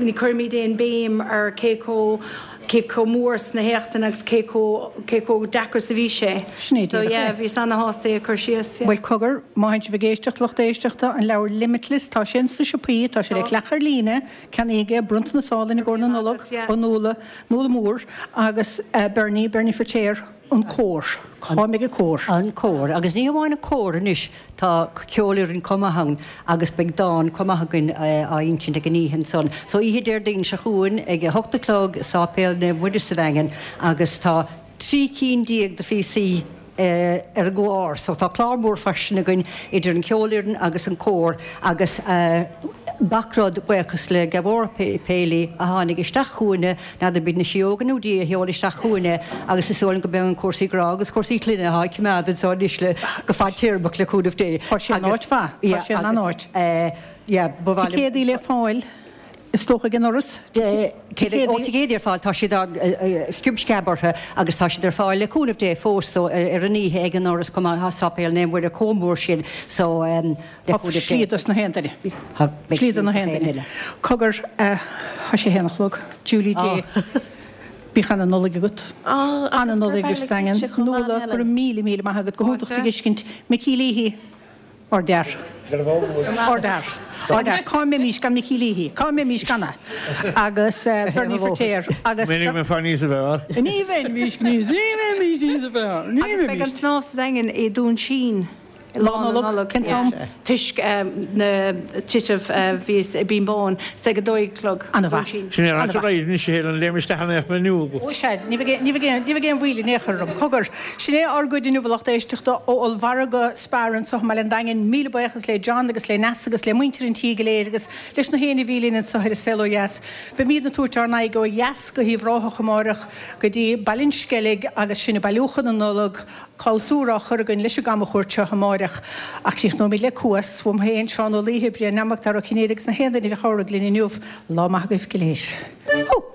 ní chuirimid aon béim ar cé chomh cé chomh mór sna héachtanna agus cé chomh cé chomh deacair is a bhí sé. Sin é So díreach yeah é. bhíos ana-shásta é a chur síos, yeah. Bhuel cogar, má théann sibh ag éisteacht, lucht éisteachta, an leabhar Limitless, tá sé ins na siopaí, tá sé le ceannach ar líne, ceannaígí é, bronntanas álainn i gcomhair na Nollag ó Nuala, Nuala Mór agus Bernie, Bernie Firtéar, an cór. Cá mbeidh an cór? An cór. Agus ní hamháin an cór anois, tá ceolfhoireann chomh maith ann agus beidh dán chomh maith againn á insint ag an oíche ansan. So oíche Déardaoin seo chugainn ag a hocht a chlog i Sáipéal Naomh Muire sa Daingean agus tá 13 cinn de phíosaí ar an gclár. So tá clár mór fairsing againn idir an cheolfhoireann agus an cór agus gach rud, buíochas le Gabhóra Paley a tháinig isteach chugainne, n'fheadar b'iad na síóga nó Dia a sheol isteach chugainn é agus is dóigh liom go mbeidh an cúrsaí grá agus cúrsaí clainne atá ag coimeád anseo anois le go fadtéarmach le cúnamh Dé. Tá sé in áit mhaith. Tá sé in an-áit. Yeah, ba mhaith liom. Ticéadaí le fáil is dócha ag an ndoras. Ticéadaí, ó ticéadaí ar fáil, tá siad á sciob sceab orthu agus tá siad ar fáil le cúnamh Dé fós so ar an oíche ag an ndoras chomh maith, tá Sáipéal Naomh Muire chomh mór sin so le Tá cúnamh Dé. slí dos na haon duine. Tá Slí do na haon duine. Cogar, tá sé haon a chlog. Julie Jay, bíodh ana Nollaig agat. Ana Nollaig sa Daingean. Nuala, go raibh míle míle maith agat, go hiontach do dh'fheiscint. Micí Leahy. Ár bhfear. Ár bhfear. Ár bhfear. Cá mbeimís gan Micí Leahy? Cá mbeimís gan é? Agus Bernie Firtéar agus. Minic mé fear níos fearr. Ní bheimís níos, ní bheimís níos fearr. Ní Agus beidh an bheimís. snámh sa Daingean i Dún Sín. Lá Nollag, cén t-am? Toisc na tithe a bhíos i Binn Bán, 's ag a dó a chlog. Ana-mhaith. Sin é an áit a raibh anois a Helen, léim isteach in aon inniu. Ó sea, ní bheidh aon mhoill in aon chor orm. Cogar, sin é ár gcuid inniu a lucht éisteachta ó ollmhargadh Spar anseo i mBaile an Daingin. Míle buíochas le John agus le Neasa agus le muintir an tí go léir agus leis na héinne a bhí linn anseo ar An Saol Ó Dheas. Beimídne ag tabhairt ár n-aghaidh ó dheas go hUíbh Ráthach amáireach go dtí Baile an Sceilg agus sinn ag bailiú chun na Nollag. Clabhsúr á chur againn leis an gcamchuairt seo amáireach. Ach críochnóimid le Cuas, uaim féin, Seán Ó Laoithe, Brian Mac Dara Ó Cinnéide agus na haon duine a chabhraigh linn inniu. Lá maith agaibh go léir. Hú!